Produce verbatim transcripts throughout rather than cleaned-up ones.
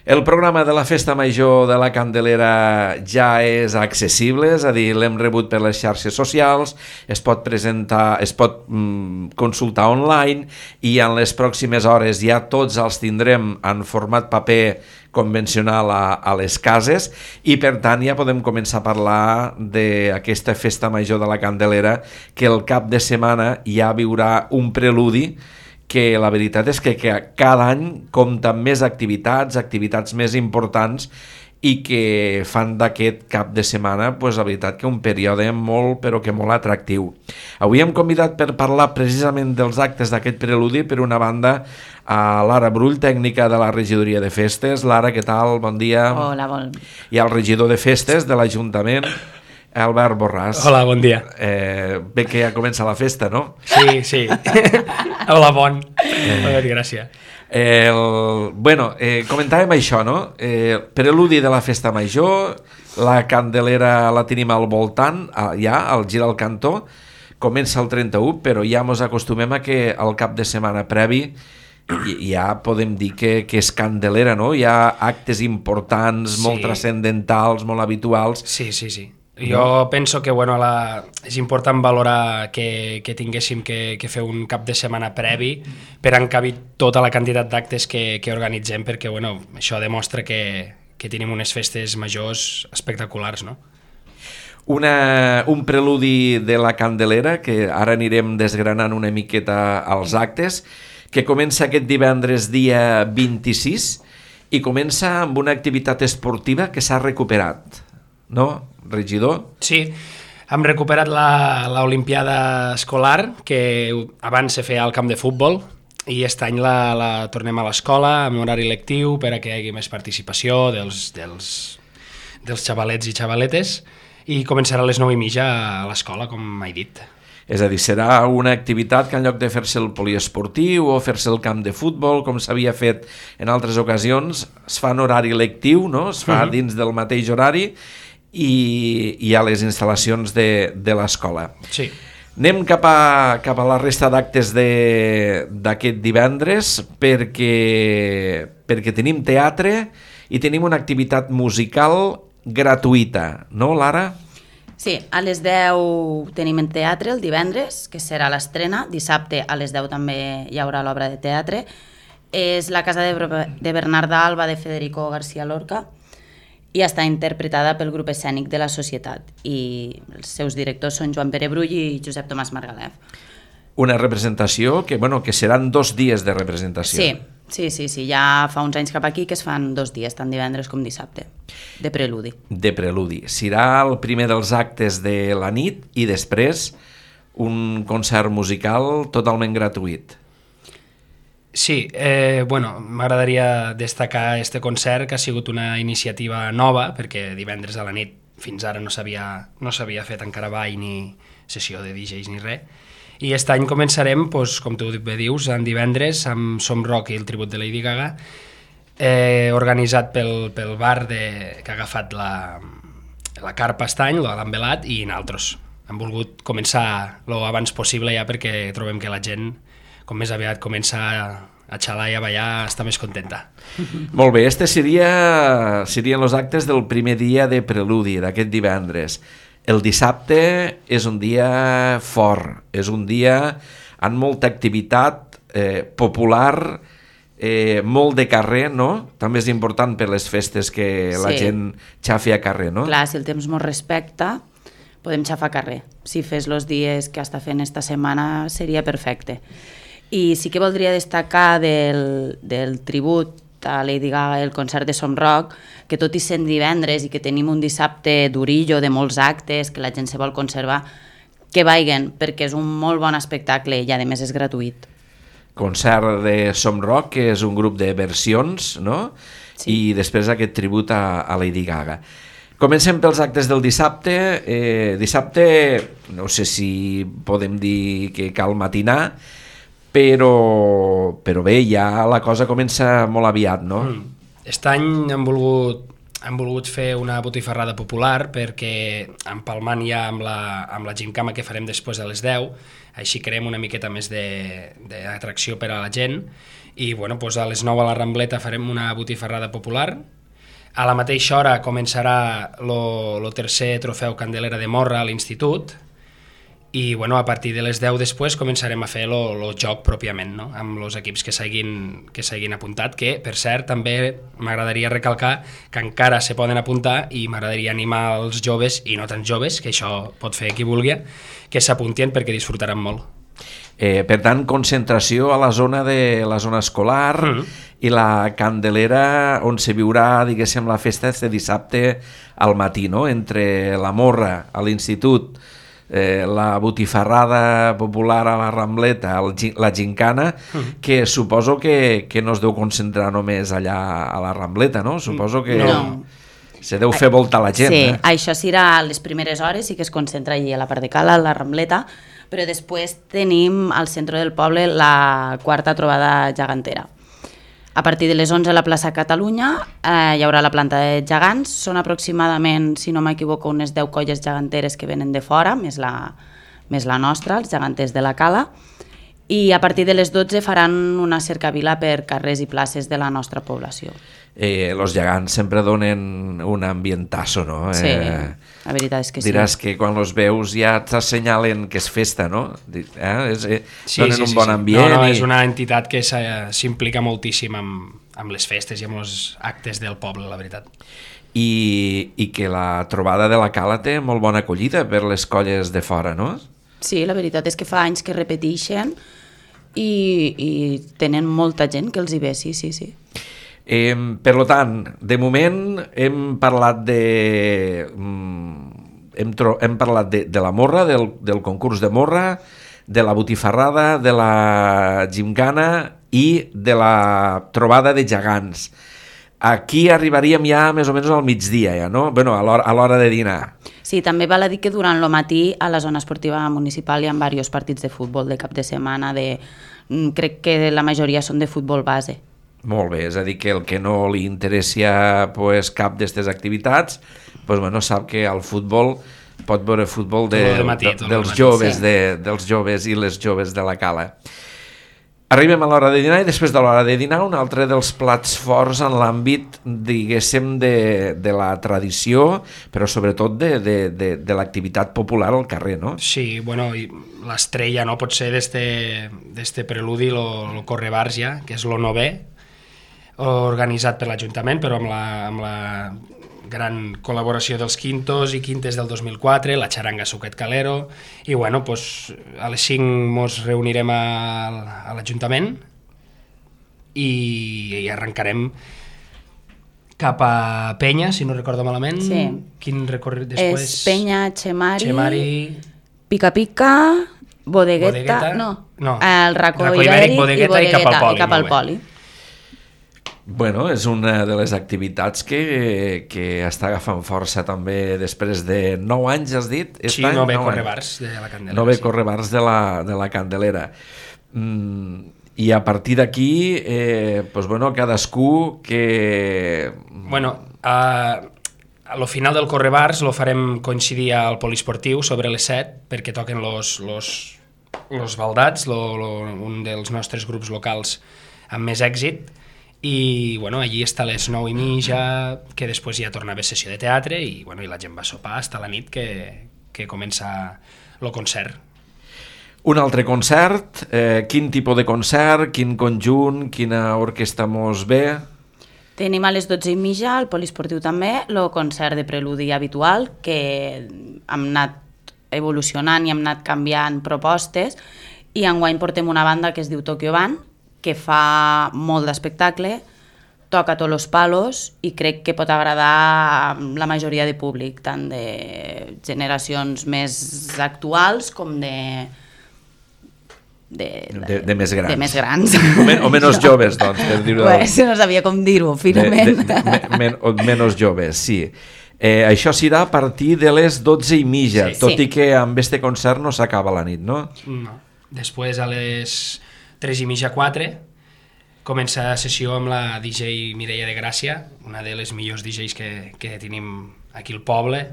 El programa de la Festa Major de la Candelera ja és accessible, és a dir, l'hem rebut per les xarxes socials, es pot presentar, es pot mm, consultar online i en les pròximes hores ja tots els tindrem en format paper convencional a, a les cases i per tant ja podem començar a parlar d'aquesta Festa Major de la Candelera que el cap de setmana ja viurà un preludi que la veritat és que, que cada any compta amb més activitats, activitats més importants i que fan d'aquest cap de setmana, pues, la veritat que un període molt, però que molt atractiu. Avui hem convidat per parlar precisament dels actes d'aquest preludi, per una banda, a Lara Brull, tècnica de la regidoria de festes. Lara, què tal? Bon dia. Hola, bon. I el regidor de festes de l'Ajuntament, Albert Borràs. Hola, bon dia. Eh, bé que ja comença la festa, no? Sí, sí. Hola, bon. Eh. Gràcies. El, bueno, eh, comentàvem això, no? Eh, preludi de la Festa Major, la Candelera la tenim al voltant, ja, al gir al cantó, comença el trenta-u, però ja mos acostumem a que al cap de setmana previ ja podem dir que, que és Candelera, no? Hi ha actes importants, sí, molt transcendentals, molt habituals. Sí, sí, sí. Jo penso que bueno, la, és important valorar que, que tinguéssim que, que fer un cap de setmana previ per encabir tota la quantitat d'actes que, que organitzem, perquè bueno, això demostra que, que tenim unes festes majors espectaculars, no? Una, un preludi de la Candelera, que ara anirem desgranant una miqueta als actes, que comença aquest divendres dia vint-i-sis i comença amb una activitat esportiva que s'ha recuperat, no, regidor? Sí, hem recuperat l'Olimpiada escolar, que abans se feia al camp de futbol, i aquest any la, la tornem a l'escola, amb horari lectiu, per a que hi hagi més participació dels, dels, dels xavalets i xavaletes, i començarà a les nou i mitja a l'escola, com he dit. És a dir, serà una activitat que en lloc de fer-se el poliesportiu o fer-se el camp de futbol, com s'havia fet en altres ocasions, es fa en horari lectiu, no? Es fa uh-huh. dins del mateix horari, i, i a les instal·lacions de, de l'escola. Sí. Anem cap a, cap a la resta d'actes d'aquest divendres perquè, perquè tenim teatre i tenim una activitat musical gratuïta, no, Lara? Sí, a les deu tenim en teatre el divendres, que serà l'estrena. Dissabte a les deu també hi haurà l'obra de teatre. És la casa de, de Bernarda Alba de Federico García Lorca i està interpretada pel grup escènic de la Societat i els seus directors són Joan Pere Brull i Josep Tomàs Margalef. Una representació que, bueno, que seran dos dies de representació. Sí, sí, sí, sí, ja fa uns anys cap aquí que es fan dos dies, tant divendres com dissabte, de preludi. De preludi. Serà el primer dels actes de la nit i després un concert musical totalment gratuït. Sí, eh, bueno, m'agradaria destacar este concert, que ha sigut una iniciativa nova, perquè divendres a la nit fins ara no s'havia no s'havia fet encara ball ni sessió de D Js ni res, i aquest any començarem, doncs, com tu bé dius, en divendres amb Som Rock i el tribut de Lady Gaga, eh, organitzat pel, pel bar de, que ha agafat la, la carpa estany, l'han velat, i nosaltres hem volgut començar lo abans possible ja perquè trobem que la gent com més aviat comença a xalar i a ballar, està més contenta. Molt bé, este seria, serien els actes del primer dia de preludi, d'aquest divendres. El dissabte és un dia fort, és un dia amb molta activitat eh, popular, eh, molt de carrer, no? També és important per les festes que la Sí. gent xafi a carrer, no? Clar, si el temps mos respecta, podem xafar carrer. Si fes els dies que està fent esta setmana seria perfecte. I sí que voldria destacar del, del tribut a Lady Gaga, el concert de Som Rock, que tot i sent divendres i que tenim un dissabte durillo de molts actes, que la gent se vol conservar, que vagin, perquè és un molt bon espectacle i a més és gratuït. Concert de Som Rock, que és un grup de versions, no? Sí. I després aquest tribut a, a Lady Gaga. Comencem pels actes del dissabte. Eh, dissabte, no sé si podem dir que cal matinar, però, però bé, ja la cosa comença molt aviat, no? Mm. Aquest any hem volgut, hem volgut fer una botifarrada popular perquè empalmant ja amb la, amb la gimcama que farem després a les deu, així creem una miqueta més d'atracció per a la gent i bueno, doncs a les nou a la Rambleta farem una botifarrada popular. A la mateixa hora començarà el tercer trofeu Candelera de Morra a l'Institut, i bueno, a partir de les deu després començarem a fer el joc pròpiament, no? Amb els equips que s'hagin que s'hagin apuntat, que per cert també m'agradaria recalcar que encara se poden apuntar, i m'agradaria animar els joves i no tan joves, que això pot fer qui vulgui, que s'apuntien perquè disfrutaran molt. Eh, per tant, concentració a la zona de la zona escolar mm. i la Candelera on se viurà, diguéssim, la festa este dissabte al matí, no? Entre la Morra a l'Institut, eh, la botifarrada popular a la Rambleta, el, la gincana, mm. que suposo que, que no es deu concentrar només allà a la Rambleta, no? Suposo que no. Se deu fer voltar la gent. Sí, eh? Això serà a les primeres hores, sí que es concentra allí a la part de Cala, a la Rambleta, però després tenim al centre del poble la quarta trobada gegantera. A partir de les onze a la plaça Catalunya eh, hi haurà la planta de gegants, són aproximadament, si no m'equivoco, unes deu colles geganteres que venen de fora, més la, més la nostra, els geganters de la Cala, i a partir de les dotze faran una cercavila per carrers i places de la nostra població. Eh, los gegants sempre donen un ambientazo, no? Sí, eh, la veritat és que diràs sí. que quan los veus ja t'assenyalen que és festa, no? Eh? És, eh, sí, donen sí, un sí, bon sí. ambient. No, no, i... és una entitat que s'implica moltíssim amb, amb les festes i amb els actes del poble, la veritat. I, I que la trobada de la Cala té molt bona acollida per les colles de fora, no? Sí, la veritat és que fa anys que repeteixen i, i tenen molta gent que els hi ve, sí, sí, sí. Eh, per tant, de moment hem parlat de hem, tro, hem parlat de, de la morra, del, del concurs de morra, de la botifarrada, de la gimcana i de la trobada de gegants. Aquí arribaríem ja més o menys al migdia, ja, no? Bueno, a l'hora de dinar. Sí, també val a dir que durant el matí a la zona esportiva municipal hi ha diversos partits de futbol de cap de setmana, de, crec que la majoria són de futbol base. Molt bé, és a dir, que el que no li interessi pues, cap d'aquestes activitats, pues, bueno, sap que al futbol pot veure futbol de, de matí, de, dels, joves, sí. de, dels joves i les joves de la Cala. Arribem a l'hora de dinar i després de l'hora de dinar un altre dels plats forts en l'àmbit, diguéssim, de, de la tradició, però sobretot de, de, de, de l'activitat popular al carrer, no? Sí, bueno, l'estrella no pot ser d'este preludi, el Correbars ja, que és el novè, organitzat per l'Ajuntament, però amb la, amb la gran col·laboració dels quintos i quintes del dos mil quatre, la xaranga Suquet Calero, i bueno, pues, a les cinc ens reunirem a, a l'Ajuntament i, i arrencarem cap a Penya, si no recordo malament. Sí. Quin recorregut després? És Penya, Xemari, Xemari... Pica Pica, Bodegueta, Bodegueta no, no, el Racó, Racó Ibèric, Bodegueta, i Bodegueta, i cap al Poli. I cap al Poli. Bueno, és una de les activitats que, que està agafant força també després de nou anys, has dit? Sí, no ve Correbars de la Candelera. No ve sí. Correbars de la, de la Candelera. Mm, I a partir d'aquí, eh, pues bueno, cadascú que... Bueno, a, a lo final del Correbars lo farem coincidir al poliesportiu sobre les set, perquè toquen los, los, los baldats, lo, lo, un dels nostres grups locals amb més èxit, i bueno, allí està a les nou i mitja, que després ja torna a haver sessió de teatre i, bueno, i la gent va sopar fins a la nit que, que comença el concert. Un altre concert, eh, quin tipus de concert, quin conjunt, quina orquestra mos ve? Tenim a les dotze i mitja, al poliesportiu també, el concert de preludi habitual, que hem anat evolucionant i hem anat canviant propostes, i enguany portem una banda que es diu Tokyo Band, que fa molt d'espectacle, toca tots els palos i crec que pot agradar a la majoria de públic, tant de generacions més actuals com de... De, de, de més grans. De més grans. O, men, o menys joves, doncs, per dir-ho. Pues, no sabia com dir-ho, finament. De, de, de, men, o menys joves, sí. Eh, això serà a partir de les dotze i mitja, sí, tot sí. I que amb este concert no s'acaba la nit, no? No. Després a les tres i mitja, quatre, comença la sessió amb la D J Mireia de Gràcia, una de les millors D Js que, que tenim aquí al poble,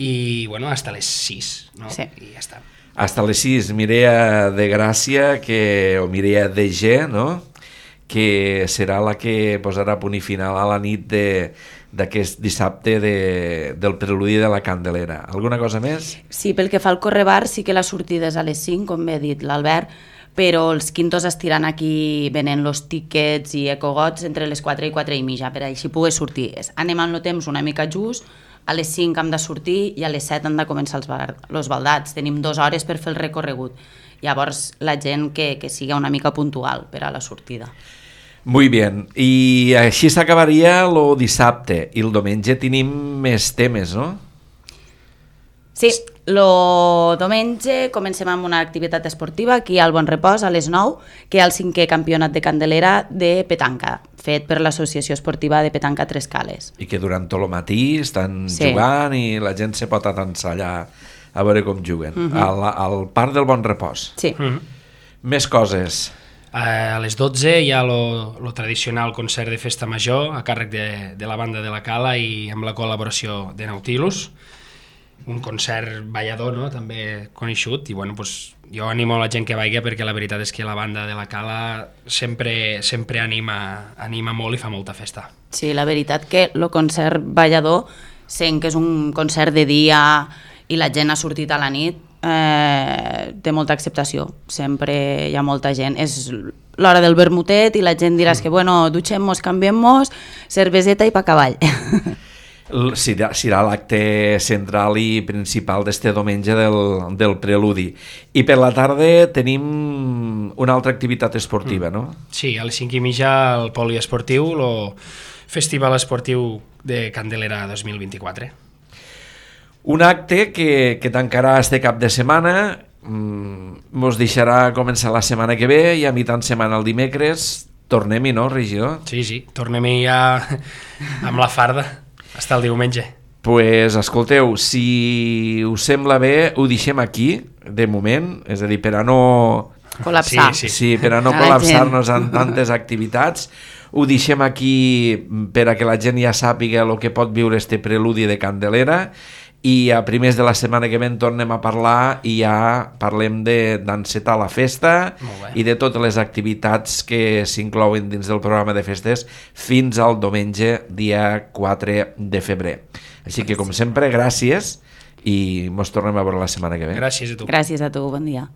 i bueno, hasta les sis, no? Sí. I ja està. Hasta les sis, Mireia de Gràcia, que, o Mireia de G, no? que serà la que posarà punt i final a la nit de, d'aquest dissabte de, del preludi de la Candelera. Alguna cosa més? Sí, pel que fa al correbar, sí que la sortida és a les cinc, com bé ha dit l'Albert, però els quintos estiran aquí venent los tickets i ecogots entre les quatre i quatre i mitja, per així poder sortir. Anem amb el temps una mica just, a les cinc hem de sortir i a les set han de començar els, els baldats. Tenim dues hores per fer el recorregut. Llavors, la gent que, que siga una mica puntual per a la sortida. Muy bien. I així s'acabaria el dissabte. I el diumenge tenim més temes, no? Sí, el diumenge comencem amb una activitat esportiva aquí al Bon Repòs a les nou, que hi ha el cinquè campionat de Candelera de petanca, fet per l'Associació Esportiva de Petanca Tres Cales. I que durant tot el matí estan sí. jugant i la gent se pot atansar allà a veure com juguen. Uh -huh. al, al Parc del Bon Repòs. Sí. Uh -huh. Més coses. A les dotze hi ha el tradicional concert de festa major a càrrec de, de la banda de la Cala i amb la col·laboració de Nautilus. Un concert ballador, no?, també coneixut, i bueno, pues, jo animo la gent que vagi perquè la veritat és que la banda de la Cala sempre, sempre anima, anima molt i fa molta festa. Sí, la veritat que el concert ballador, sent que és un concert de dia i la gent ha sortit a la nit, eh, té molta acceptació, sempre hi ha molta gent. És l'hora del vermutet i la gent diràs mm. que bueno, dutxem-nos, canviem-nos, cerveseta i pa cavall. Serà, serà l'acte central i principal d'este diumenge del, del preludi. I per la tarda tenim una altra activitat esportiva, mm. no? Sí, a les cinc i mitja el poliesportiu, el Festival Esportiu de Candelera dos mil vint-i-quatre. Un acte que, que tancarà este cap de setmana, mos deixarà començar la setmana que ve i a mitjan setmana el dimecres tornem-hi, no, regidor? Sí, sí, tornem-hi ja amb la farda. Hasta el diumenge. Pues, escolteu, si us sembla bé, ho deixem aquí, de moment, és a dir, per a no... Col·lapsar. Sí, sí. sí per a no col·lapsar-nos en tantes activitats. Ho deixem aquí per a que la gent ja sàpiga el que pot viure este preludi de Candelera i a primers de la setmana que ve en tornem a parlar i ja parlem d'encetar la festa i de totes les activitats que s'inclouen dins del programa de festes fins al diumenge, dia quatre de febrer. Així que, com sempre, gràcies i mos tornem a veure la setmana que ve. Gràcies a tu. Gràcies a tu, bon dia.